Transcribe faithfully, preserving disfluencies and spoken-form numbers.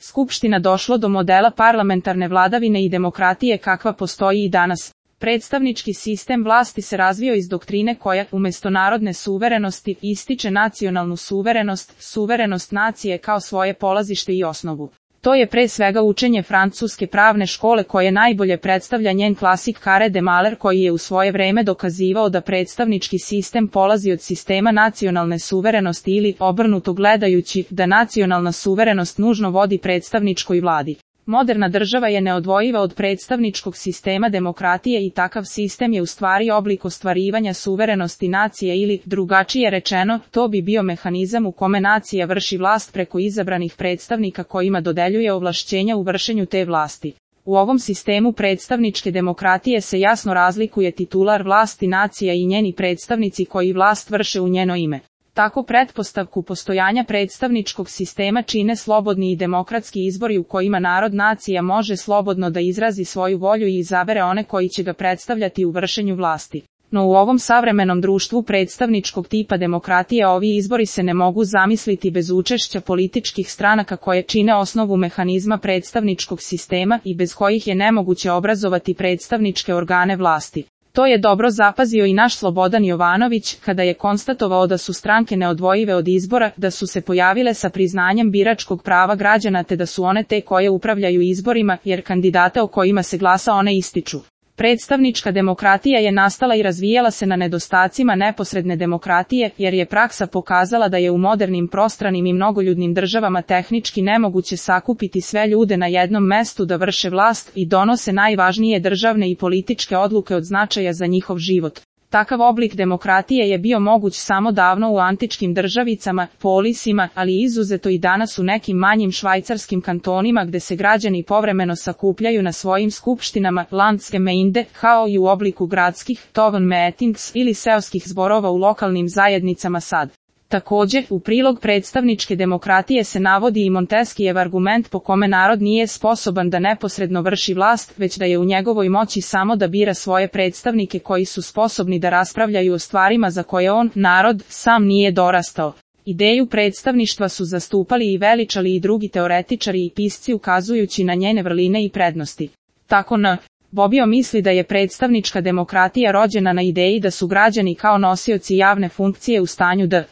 Skupština došlo do modela parlamentarne vladavine i demokratije kakva postoji i danas. Predstavnički sistem vlasti se razvio iz doktrine koja, umjesto narodne suverenosti, ističe nacionalnu suverenost, suverenost nacije kao svoje polazište i osnovu. To je pre svega učenje francuske pravne škole koje najbolje predstavlja njen klasik Carré de Maler koji je u svoje vreme dokazivao da predstavnički sistem polazi od sistema nacionalne suverenosti ili, obrnuto gledajući, da nacionalna suverenost nužno vodi predstavničkoj vladi. Moderna država je neodvojiva od predstavničkog sistema demokratije i takav sistem je u stvari oblik ostvarivanja suverenosti nacije ili, drugačije rečeno, to bi bio mehanizam u kome nacija vrši vlast preko izabranih predstavnika kojima dodeljuje ovlašćenja u vršenju te vlasti. U ovom sistemu predstavničke demokratije se jasno razlikuje titular vlasti nacija i njeni predstavnici koji vlast vrše u njeno ime. Tako pretpostavku postojanja predstavničkog sistema čine slobodni i demokratski izbori u kojima narod nacija može slobodno da izrazi svoju volju i izabere one koji će ga predstavljati u vršenju vlasti. No u ovom savremenom društvu predstavničkog tipa demokratije ovi izbori se ne mogu zamisliti bez učešća političkih stranaka koje čine osnovu mehanizma predstavničkog sistema i bez kojih je nemoguće obrazovati predstavničke organe vlasti. To je dobro zapazio i naš Slobodan Jovanović, kada je konstatovao da su stranke neodvojive od izbora, da su se pojavile sa priznanjem biračkog prava građana te da su one te koje upravljaju izborima, jer kandidate o kojima se glasa one ističu. Predstavnička demokratija je nastala i razvijala se na nedostacima neposredne demokratije, jer je praksa pokazala da je u modernim prostranim i mnogoljudnim državama tehnički nemoguće sakupiti sve ljude na jednom mestu da vrše vlast i donose najvažnije državne i političke odluke od značaja za njihov život. Takav oblik demokratije je bio moguć samo davno u antičkim državicama, polisima, ali izuzeto i danas u nekim manjim švajcarskim kantonima gde se građani povremeno sakupljaju na svojim skupštinama, Landsgemeinde, kao i u obliku gradskih, Tovenmeetings ili seoskih zborova u lokalnim zajednicama sad. Također, u prilog predstavničke demokratije se navodi i Monteskijev argument po kome narod nije sposoban da neposredno vrši vlast, već da je u njegovoj moći samo da bira svoje predstavnike koji su sposobni da raspravljaju o stvarima za koje on, narod, sam nije dorastao. Ideju predstavništva su zastupali i veličali i drugi teoretičari i pisci ukazujući na njene vrline i prednosti. Tako n. Bobbio misli da je predstavnička demokratija rođena na ideji da su građani kao nosioci javne funkcije u stanju da